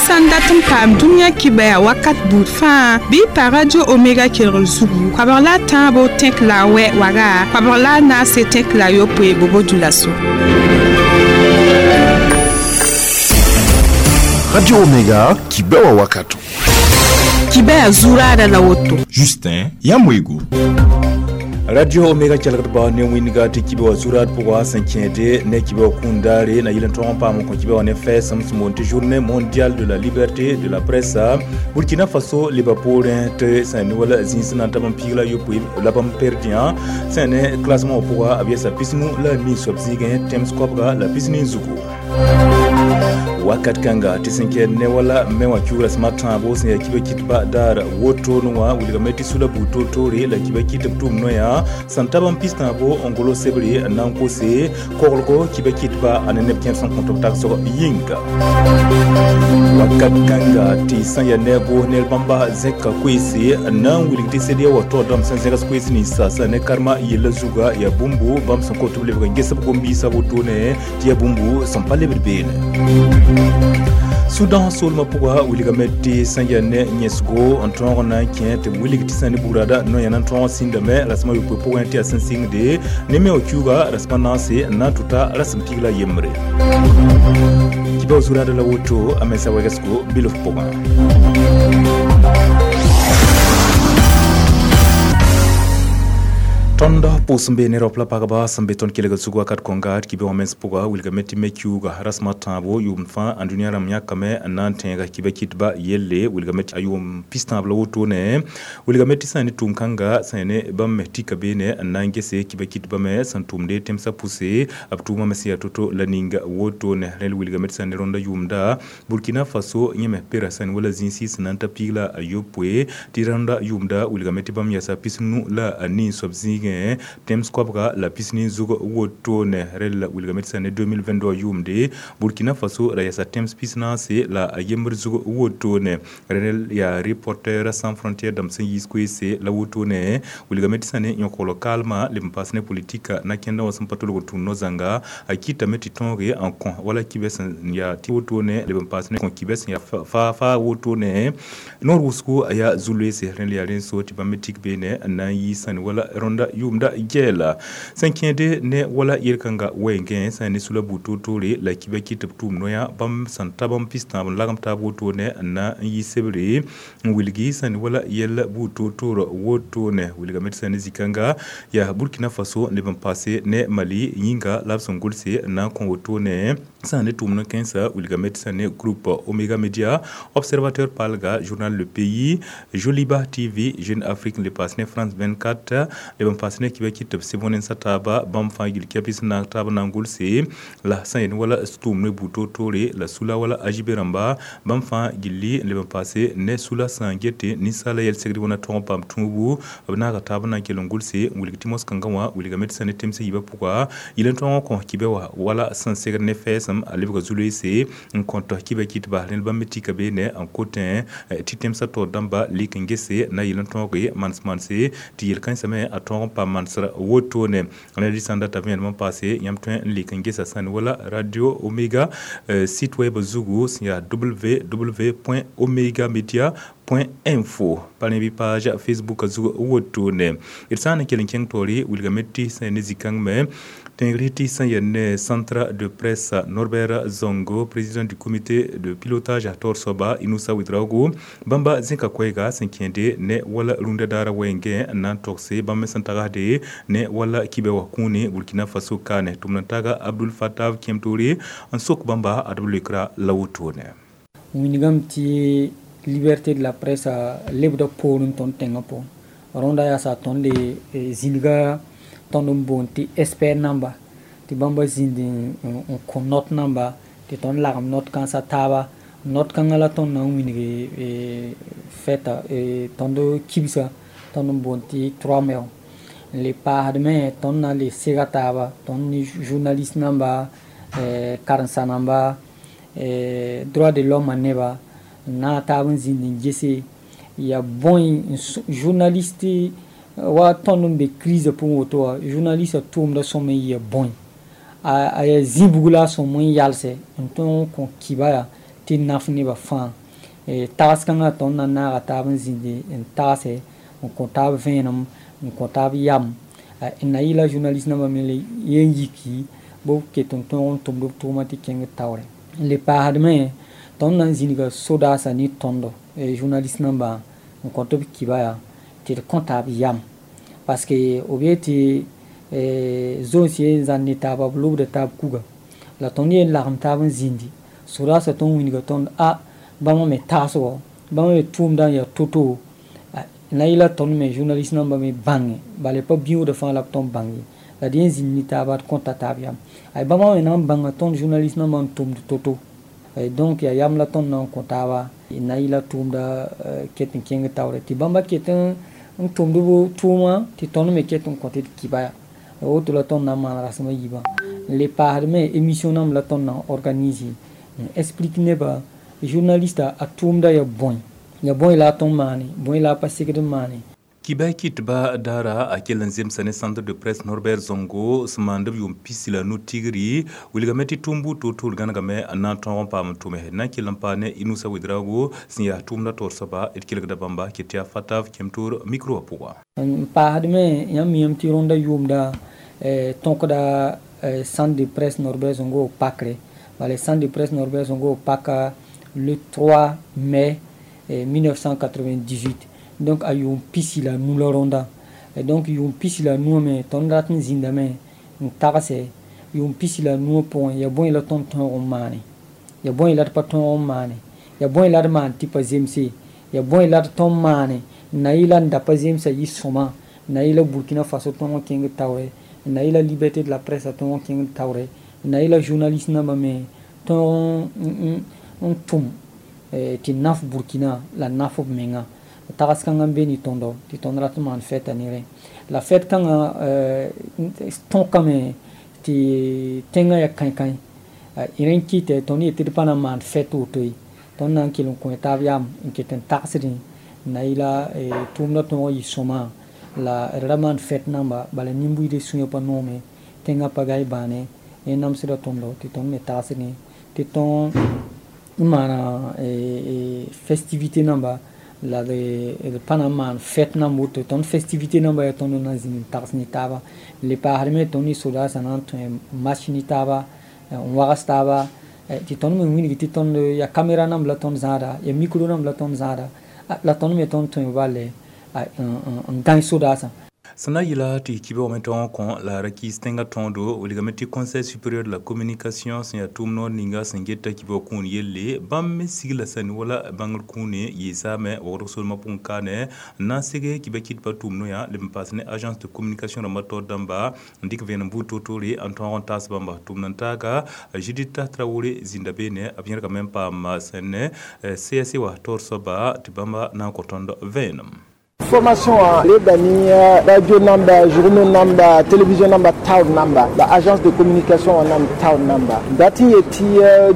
Sãn dat n paam dũniyã kibɛa wakat buud fãa bɩ pa Radio Omega kelgr zugu koabg la a tãabo tẽk la a wɛ waga koabg la a naase tẽk la a yopoe bobo dulaso. Radio Omega kibɛwa wakato. Kibɛa zuraada la woto. Justin Yamwego. Radio Omega kelgdba ne wĩnga tɩ kibe wa zurad pʋga sẽn kẽede ne kibe wa kũundaare na yɩl n tõg n paam n kõ kibe wa ne fɛɛsem sẽn boond tɩ Journée mondiale de la liberté de la presse. Burkina Faso leba poorẽ tɩ sẽn ne wala zĩis na n tab n piig la yopoe la bãmb perdiã sẽn ne classement wã pʋga b yɛsa 53 soab zĩigẽ tẽms koabga la 40 zugu. Wakat kãnga tɩ sẽn kɛɛd ne wala me wã kiugra sẽm a tãabo sẽn yaa kiba kɩtba daar wotone wã wilgame tɩ sula buud toor-toore la kiba kɩtb tʋʋm noyã sẽn tab n pis tãabo n golo sebre n na n kose koglgo kiba kɩtba a ne neb kẽer sẽn kõt b tagsg yĩnga. Wakat kãnga tɩ sẽn yaa ne goos nel bãmba zẽka koeese n na n wilg tɩ CEDEAO wa taoor dãmb sẽn zẽgs koees ninsa sẽn ne karma yella zuga yaa bũmbu bãmb sẽn kot b lebg n ges b gom-biisã wotone tɩ yaa bũmbu sẽn pa lebd beene. Sudan soolmã pʋga wilgame tɩ sẽn yaa ne yẽsgo n tõog n na n kẽ tɩ b wilg tɩ sẽn ne bugrada no-yã na n tõog n sĩndame rasem a yopoe pʋgẽ tɩ yaa sẽn sɩngde ne me wã kiuga rasem a naase n na n tʋta rasem pig la yembre. Kibao zurada la woto a mensa wegesgo bilf pʋgã. Tõnd pʋʋs n be ne raop la pagba sẽn be tõnd kelgd zug wakat kõnga tɩ kibe wã mens pʋga wilgame tɩ me kiuga rasem a tãabo yʋʋmd fãa ãndũniyã rãmb yãkame n na n tẽega kiba kɩtba yelle wilgame tɩ a yʋʋm pis-tãab la wotone wilgame tɩ sã ne tʋʋm kãnga sã ne bãmb me tika beene n na n gese kiba kɩtba me sẽn tʋmde tẽmsã pʋse b tʋʋmã me sẽn yaa to-to la ninga wotone rẽl wilgame tɩ sã ne rõnda yʋʋmda Burkina Faso yẽ me pera sã ne wala zĩisi sẽn na n ta piig la a yopoe tɩ rõnda yʋʋmda wilgame tɩ bãmb yɛsa 54 soab zĩigẽ tẽms koabga la 40 zug wotone rel wilgame tɩ sã ne 2022 yʋʋmde Burkina Faso ra yɛsa tẽms 44 la a yembr zug wotone rel yaa Reporters sans frontières dãmb sẽn yiis koeese la wotone wilgame tɩ sã ne yõkogl kaalmã leb n paas ne politika na kẽndã wã sẽn pa tolg n tũud no-zãnga a kɩtame tɩ tõoge n kõ wala kibɛ sẽn yaa tɩ wotone leb n paas ne kõ kibɛ sẽn yaa faa wotone noor wʋsgo a yaa zu-loeese rẽl yaa rẽn so tɩ bãmb me tik beene n na n yiis sã ne wala rõnda yʋʋmda gɛɛla sẽn kẽede ne wala yel-kãnga wɛɛngẽ sã ne sula buud toor-toore la kiba kɩt b tʋʋm noyã bãmb sẽn ta bãmb pis-tãab n lagem taab wotone n na n yi sebre n wilgi sã ne wala yɛl buud toor-toor wotone wilgame tɩ sã ne zĩ-kãnga yaa Burkina Faso n leb n paase ne Mali yĩnga la b sẽn gʋlse n na n kõ wotone sã ne tʋʋm kãensa wilgame tɩ sã ne groupe Omega Media Observateur Palga Journal Le Pays Joliba TV Jeune Afrique n le paas ne France 24 leb n paas ne kiba kɩt b sɩb wẽnsa taaba bãmb fãa yil kɛpis n na taab na n gʋlse la sã yen wala tʋʋm ne buud toor-toore la sula wala ajibe rãmba bãmb fãa gilli n leb n paase ne sula sã n gete ninsaala yɛl-segd wãna tõg n paam tũubu b naaga taab n na n kell n gʋlse n wilg tɩ mos-kãngã wã wilgame tɩ sã ne temsã yiibã pʋga yɩl n tõog n kõ kibɛ wã wala sẽn segd ne fɛɛsem a lebga zu-loeese n kõt kiba kɩtba rẽnd bãmb me tika beene n kotẽ tɩ tẽmsã taoor dãmba lik n gese na yɩl n tõoge mans-manse tɩ yel-kãensã me a tõog n paam mansr wotone rẽnd sãn data vẽenem n paase yãmb tõe n lik n gesa sã ne wala Radio Omega site web zugu sẽn yaa www.omegamedia.info pa ne bɩ page Facebook zug wotone d sã n kell n kẽng taoore wilgame tɩ sã ne zĩ-kãng me tẽegr tɩ sã yaa ne Centre de presse Norbert Zongo président du comité de pilotage a taoor soaba Inoussa Ouedraogo bãmba zẽka koɛɛga sẽn kẽede ne wala rũndã daara wɛɛngẽ n na n togse bãmb me sẽn tagsde ne wala kibɛ wã kũune Burkina Faso kaane tʋmd n taga Abdul Fattah kẽem-toore n sok bãmba ad b leokra la wotone. Wingame tɩ liberté de la presse lebda poorẽ tõnd tẽngã pʋgẽ rõnda yaa sa tõnd le zĩnga tõnd n boond tɩ expert namba tɩ bãmba zĩnd n kõ not namba tɩ tõnd lagem not kãnsã taaba not kãngã la tõnd na n wilg fɛta tõnd kibsa tõnd n boond tɩ 3 mai n le paasdme tõnd na n le sega taaba tõnd ne journaliste namba karen-sa namba droit de l'homme neba n na taab n zĩnd n gese ya bõe journaliste wa tõnd n be crise pʋgẽ woto wã journaliste tʋʋmda sõm n yɩ bõe a yaa zĩ bug la a sõm n yalsɛ n tõog n kõ kiba yaa tɩ Tɩ naf nebã fãa tags kãngã tõnd na n naaga taab n zĩndi n tagse n kõ taab vẽenem n kõ taab yam n na yɩla journaliste nambã me yen yiki b ket n tõog n tʋmd b tʋʋma tɩ kẽng taoore n le paasdme tõnd na n zĩniga sodaasã ne tõndo journaliste nambã n kõ tɩ b kiba yaa tɩ d kõ taab yam parce que b yet tɩ zoens ye n zãn ne taaba b lobda taab kuga la tõnd yen lagem taab n zĩndi sodaasã tõnd wilga tõnd a bãmb me tagsgo bãmb me tʋʋmdã n yaa to-to na yɩla tõnd me journaliste nambã me bãnge bala pa bĩoogda fãa la b tõnd bãng ye la d yen zĩnd ne taaba d kõta taab yam ay bãmba me na n bãnga tõnd journaliste nambã n tʋmd to-to donc yaa yam la tõnd na n kõ taaba na yɩla tʋʋmda ket n kẽng taoore tɩ bãmba ket n tʋmd b tʋʋma tɩ tõnd me ket n kõ tɩ d kiba ya woto la tõnd na n maan rasem a yiibã n le paasd me émission namb la tõnd na n organise n explique nebã journaliste a tʋʋmda ya bõe ya bõe la a tõnd maane bõe la a pa segd n maane. Kibɛ kitba dara a kell n zemsa ne centre de presse Norbert Zongo sẽn maand b yʋʋm pisi la nu tigri wilgame tɩ tʋʋm buud toor-toor gãnegame n na n tõog n paam n tʋme na n kell n paa ne Inusa Wedraogo sẽn yaa tʋʋmda taoor soaba d kelgda bãmba ket yaa Fatav Kemtoor micro wã pʋga. N paasdme yãmb miame tɩ rõnda yʋʋmda tõkda centre de presse Norbert Zongo pakre bala centre de presse Norbert Zongo paka le 3 mai 1998 donc a yʋʋm pisi la nu la rõnda donc yʋʋm pisi la nuã me tõnd rat n zĩndame n tagse yʋʋm pisi la nuã pʋgẽ ya bõe la tõnd tõog n maane ya bõe la d pa tõog n maane ya bõe la d maan tɩ pa zemse ya bõe la d tõnd maane n na yɩla n da pa zemsa yɩ sõma n na yɩla Burkina Faso tõog n kẽng taoore n na yɩla liberté de la presse a tõog n kẽng taoore n na yɩla journaliste nambã me tõog n tʋm tɩ naf Burkina la naf b menga tags kãngã n be ne tõndo tɩ tõnd rat n maan fɛta ne rẽ la fɛt kãngã tõkame tɩ tẽngã yaa kãe-kãe rẽ n kɩtɛ tõnd yetɩ d pa na n maan fɛt woto ye tõnd na n kell n kõ taab yam n ket n tagsdẽ n na yɩla tʋʋmdã tõog n yɩ sõma la d ra maan fɛt namba bala nin-buiidã sũyã pa noome tẽngã pa gaa bãane yẽ namsda tõndo tɩ tõnd me tagsdẽ tɩ tõog n maana festivité namba la d pa na n maan fɛt namb woto tõnd festivité namba yaa tõnd na n zĩnd n tags ne taaba le paasd me tõnd ne sodaasã na n tõe match ne taaba n wags taaba tɩ tõnd me wilg tɩ tõnd yaa caméra namb la tõnd zãada yaa micro namb la tõnd zãada la tõnd me tõnd tõe bale n gãe sodaasã. Sẽn na yɩla tɩ kibã wame tõog kõ la ra kɩɩs tẽngã tõodo wilgame tɩ Conseil supérieur de la communication sẽn yaa tʋʋm noor ninga sẽn geta kibã kũun yelle bãmb me sigla sã ne wala bãngr kũune yɩɩsame wogdg solmã pʋgẽ kaane n na n seg kibã kɩtbã tʋʋm noyã leb n paas ne agence de communication rãmbã taoor dãmba n dɩk vẽenem buud toor-toore n tõog n taas bãmba tʋʋm n taaga Judith Traoré zĩnda beene b yẽrgame n paam sẽn ne CSC wã taoor soaba tɩ bãmba na n kõ tõnd vẽenem. Formation lebda ni radio namba, journaux namba, télévision namba, town namba, la agence de communication nam town namba. Dati yeti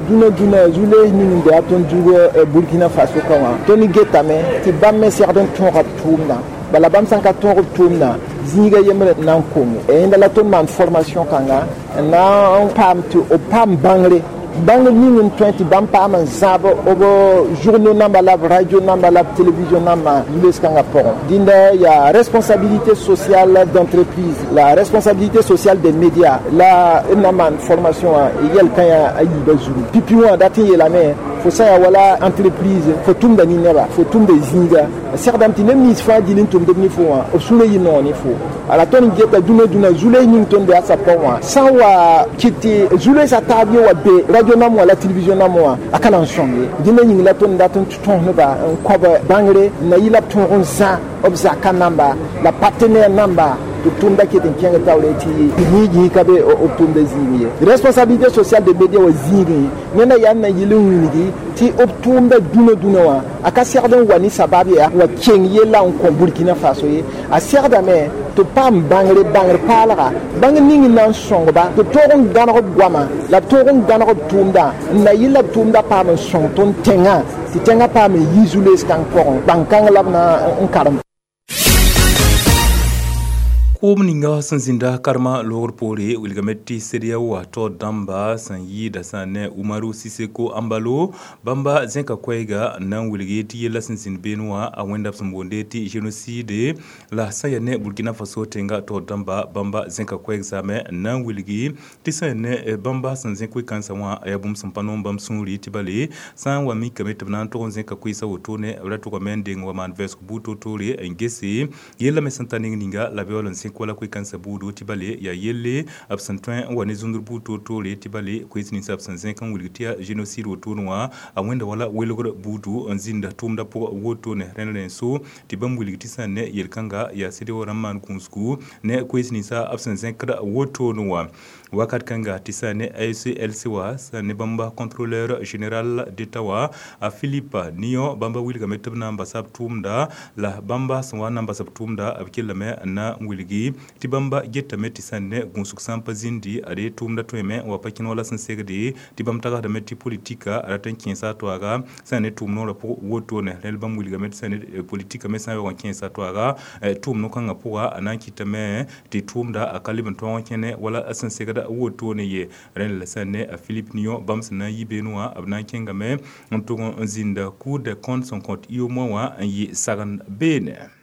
duna duna zule ning de aton dugo Burkina Faso kawa. Toni getame ti bamme serden ton rap tumna. Bala bam sanka ton rap tumna. Zĩiga yembre nan kongo. E inda la ton man formation kanga na pam tu o pam bangre. Bãng ning n tõe tɩ bãmb paam n zãab b journaux namba la b radio namba la b télévision namba zules-kãngã pʋgẽ dĩnda yaa responsabilité sociale d'entreprise, la responsabilité sociale des médias la d na n maan formation wã yɛl kã yaa a yiibã zugu pipi wã dat n yeelame fo sã yaa wala entreprise fo tʋmda ne neba fo tʋmda zĩiga segdame tɩ neb nins fãa gil n tʋmdb ne fo wã b sũurã yɩ noog ne fo ala tõnd n geta dũnã dũnã zules ning tõnd be a sa pʋgẽ wã sã n wa kɩt tɩ zulesã taab yẽ wa be radio nam wã la télévision nam wã a ka na n sõng ye dĩnã yĩng la tõnd dat n tõs neba n koab bãngre n na yɩ la b tõog n zã b zaka namba la partenaire namba tɩ tʋmda ket n kẽng taoore tɩ yĩig ka be b tʋmda zĩig ye responsabilité sociale de média wã zĩigẽ neda yaa n na yɩl n wilgi tɩ b tʋʋmda dũnã dũnã wã a ka segd n wa ne sabab yaa wa keng yella n kõ Burkina Faso ye a segdame tɩ paam bãngre bãngr paalga bãng ning n na n sõngba tɩ tõog n gãneg b goama la b tõog n gãneg b tʋʋmda n na yɩl la b tʋʋmda paam n sõng tõnd tẽngã tɩ tẽngã paam n yi zu-lees kãng pʋgẽ bãng-kãng la b na n karem. Koom ninga sẽn zĩnda karema loogr poore wilgame tɩ CEDEAO wa taoor dãmba sẽn yɩɩda sã ne Umaru Siseko Embalo bãmba zẽka koɛɛga n na n wilgi tɩ yella sẽn zĩnd beene wã a wẽnda b sẽn boonde tɩ génocide la sã yaa ne Burkina Faso tẽnga taoor dãmba bãmba zẽka koɛɛg zaame n na n wilgi tɩ sã yaa ne bãmba sẽn zẽk koe-kãensã wã a yaa bũmb sẽn pa noom bãmb sũuri tɩ bale sã n wa mikame tɩ b na n tog n zẽka koeesã wotone b ra tʋgame n deng wa maan vɛɛsg buud toor-toore n gese yella me sẽn ta neng ninga la b yaool n zẽk wala koe-kãensã buudu tɩ bale yaa yelle b sẽn tõe n wa ne zũndr buud toor-toore tɩ bale koees ninsã b sẽn zẽk n wilg tɩ yaa génocide wotone wã a wẽnda wala welgr buudu n zĩnda tʋʋmdã pʋgã wotone rẽnd rẽn-so tɩ bãmb wilg tɩ sã ne yel-kãnga yaa CEDEAO rãmb maan gũusgu ne koees ninsã b sẽn zẽkd wotone wã wakat kãnga tɩ sã ne AECLC wã sã ne bãmba contrôleur général d'État wã a Philippe Nion bãmba wilgame tɩ b na n basa b tʋʋmda la bãmba sẽn wa n na n basa b tʋʋmda b kellame n na n wilgi tɩ bãmba getame tɩ sã ne gũusg sã n pa zĩndi ad tʋʋmda tõeme n wa pa kẽn wala sẽn segde tɩ bãmb tagsdame tɩ politika a rat n kẽesa a toaaga sã ne tʋʋm noorã pʋg wotone rẽnd bãmb wilgame tɩ sã ne politika me sã n yaoog n kẽesa a toaaga tʋʋm no-kãngã pʋga a na n kɩtame tɩ tʋʋmda a ka leb n tõog n kẽne wala a sẽn segda wotone ye rẽnd la sã ne a Philippe Nion bãmb sẽn na n yi beene wã b na n kẽngame n tʋg n zĩnda Cour des comptes sẽn kõt UEMOA wã n yɩ sagend beene.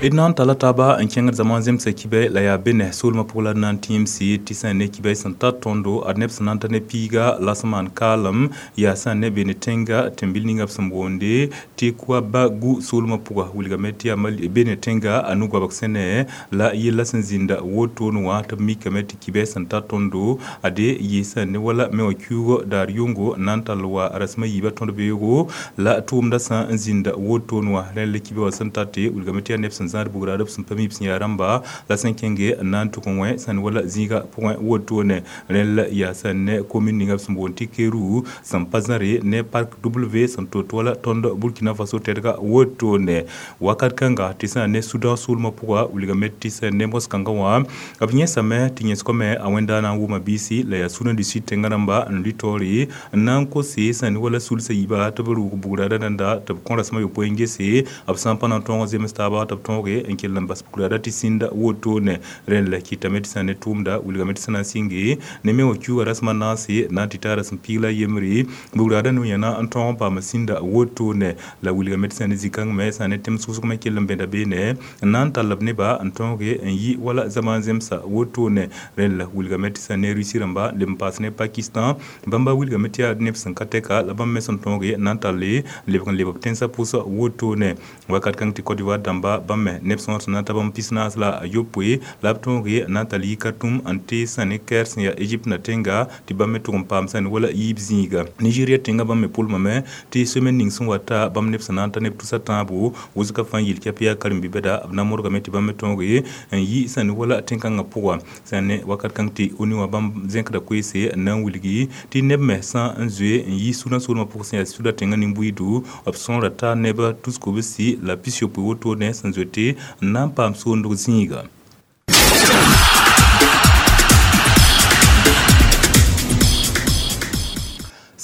D na n tala taaba n kẽngd zamã zemsa kibɛ la yaa be ne soolmã pʋg la d na n tẽemse tɩ sã n ne kibɛ sẽn tar tõndo ad neb sẽn na n ta ne piiga la sẽn maan kaalem yaa sã n ne beene tẽnga tẽn-bil ninga b sẽn boonde tɩ Kouabagu soolmã pʋga wilgame tɩ yaa beene tẽnga a nu-goabg sẽne la yella sẽn zĩnda wotone wã tɩ b mikame tɩ kibɛ sẽn tar tõndo ade yɩ sã n ne wala me wã kiuugã daar yʋngo n na n tall wa rasem a yiibã tõd beoogo la tʋʋmdã sã n zĩnda wotone wã rẽnd la kibɛ wã sẽn tate wilgame tɩ yaa neb sẽn zãad bugrã b sẽn pa mi b sẽn yaa rãmba la sẽn kẽnge n na n tʋg n wẽ sã n wala zĩiga pʋgẽ wotone rẽnd la yaa sã n ne commune ninga b sẽn boond tɩ Keru sẽn pa zãre ne park W sẽn tot wala tõnd Burkina Faso tɛdga wotone wakat kãnga tɩ sã n ne Sudan soolmã pʋga wilgame tɩ sã n ne mos-kãngã wã b yẽsame tɩ yẽsgame a wẽnda na n wʋma biisi la yaa Sudan du Sud tẽngã rãmba n lʋɩ taoore n na n kose sã n ne wala sulsã yiiba tɩ b rʋʋg bugrã rãnda tɩ b kõ rasem a yopoe n gese b sã n pa na n tõog n zems taaba tɩ b tõoge n kell n bas bugrã tɩ sĩnda wotone rẽnd la kɩtame tɩ sã n ne tʋʋmda wilgame tɩ sã na n sɩnge ne me wã kiuugã rasem a naase na n tɩ taa rasem piig la yembre bugrã no-yẽna n tõog n paam sĩnda wotone la wilgame tɩ sã ne zĩ-kãng me sã ne tẽm sʋsg me kell n bẽda beene n na n tall b neba n tõoge n yɩ wala zama n zemsa wotone rẽnd la wilgame tɩ sã ne Russie rãmba leb n paas ne Pakistan bãmba wilgame tɩ yaa neb sẽn ka tɛka la bãmb me sẽn tõoge n na n talle lebg n leb b tẽnsã pʋsã wotone wakat kãng tɩ Côte d'Ivoire dãmba bãmb me neb sõor sẽn na n ta bãmb pis-naas la a yopoe la b tõoge n na n tall yɩ Khartoum n tɩ sã ne Caire sẽn yaa Egypte na tẽnga tɩ bãmb me tʋg n paam sã ne wala yiib zĩiga Nigeria tẽnga bãmb me pʋlmame tɩ semaine ning sẽn wa ta bãmb neb sẽn na n ta neb tusa tãabo wʋsgã fãa yel kɛp yaa karen-bi-bɛda b na n modgame tɩ bãmb me tõoge n yɩ sã ne wala tẽn-kãngã pʋga sã ne wakat kãng tɩ ONU wã bãmb zẽkda koeese n na n wilgi tɩ neb me sã n zoe n yɩ Sudan soolmã pʋg sẽn yaa Sudan tẽngã nin-buiidu b sõora taa neb tus-kobsi la pis-yopoe wotone sẽn zoete n na n paam soondg zĩiga.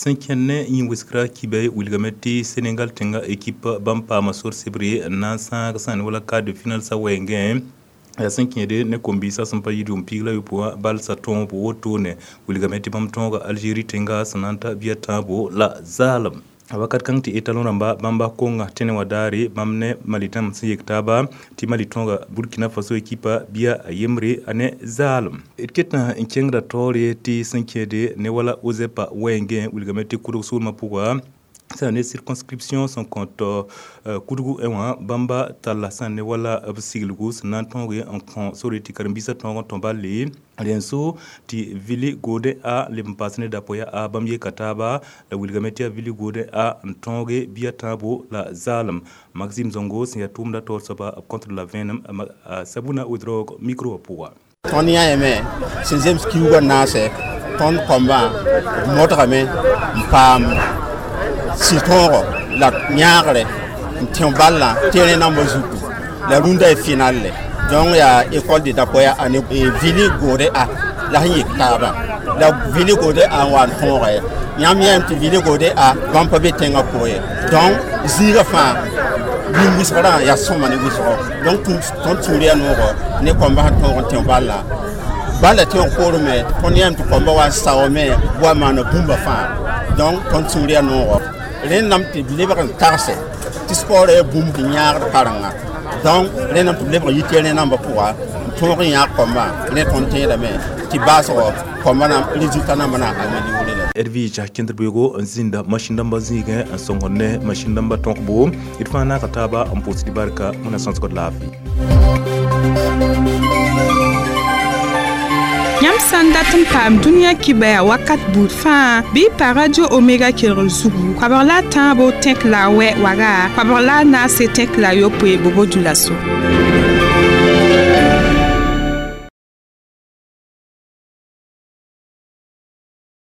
Sẽn kẽnd ne yĩn-wɩsgrã kibɛ wilgame tɩ Senegal tẽngã ekipa bãmb paama sor sebre n na n sãag sã ne wala quart de finale sa wɛɛngẽ yaa sẽn kẽede ne kom-biisã sẽn pa yɩ dʋm piig la yopoe wã bal sa tõobo wotone wilgame tɩ bãmb tõoga Algérie tẽnga sẽn na n ta bia tãabo la zaalem wakat kãng tɩ etalon rãmba bãmba konga tẽne wã daare bãmb ne Mali dãmb sẽn yek taaba tɩ Mali tõoga Burkina Faso ekipa bia a yembre a ne zaalem d ketã n kẽngda taoore tɩ sẽn kẽede ne wala OZEPA wɛɛngẽ wilgame tɩ kʋdg soolmã pʋga sã ne circonscription sẽn kõt kudgu wã bãmba talla sã ne wala b siglgu sẽn na n tõoge n kõ sore tɩ karen-biisã tõog n tõ balle rẽn-so tɩ Vili Gode a leb n paas ne dapoya a bãmb yeka taaba la wilgame tɩ yaa Vili Gode a n tõoge bia tãabo la zaalem Maxime Zongo sẽn yaa tʋʋmda taoor soaba b contre la vẽenem Sabuna Ouedraogo micro wã pʋga. Tõnd yãame sẽn zems kiuugã naasɛ tõnd kõmbã b modgame n paam sɩ-tõogo la yãagre n tẽ ballã terrain nambã zutu la rũndã y final le donc yaa école de Dapoya ane Vili Gode a La sẽn yik taabã la vilgde a n wa n tõoge yãmb yãem tɩ vilgde a bãmb pa be tẽngã pʋgẽ ye. Donc zĩigã fãa bũmb wʋsgrã yaa sõma ne wʋsgo. Donc tõnd sũur yaa noogo ne kõmba sẽn tõog n tẽ balla bala tõog poorẽ me tõnd yãem tɩ kõmba wa n saoome wa maana bũmba fãa. Donc tõnd sũur yaa noogo rẽndame tɩ b lebg n tagse tɩ sport yaa bũmb tɩ yãagd karenga. Donc rẽndame tɩ b lebg yit rẽ nambã pʋga n tõog n yãag kõmba rẽ tõnd tẽedame tɩ baasgɔ kõmba na résultat nambã na améliorer la. Edwige kẽndr beoogo n zĩnda masĩn dãmbã zĩigẽ n sõngd ne masĩn dãmbã tõkbo d fãa naaka taaba n pʋʋsd barka wẽnna sõsgd laafɩ. Yãmb sã n dat n paam dũniyã kibaya wakat buud fãa bɩ y pa Radio Omega kelgr zugu koabg la a tãabo tẽk la a wɛ waga koabg la a naase tẽk la a yopoe bobo dioulasso.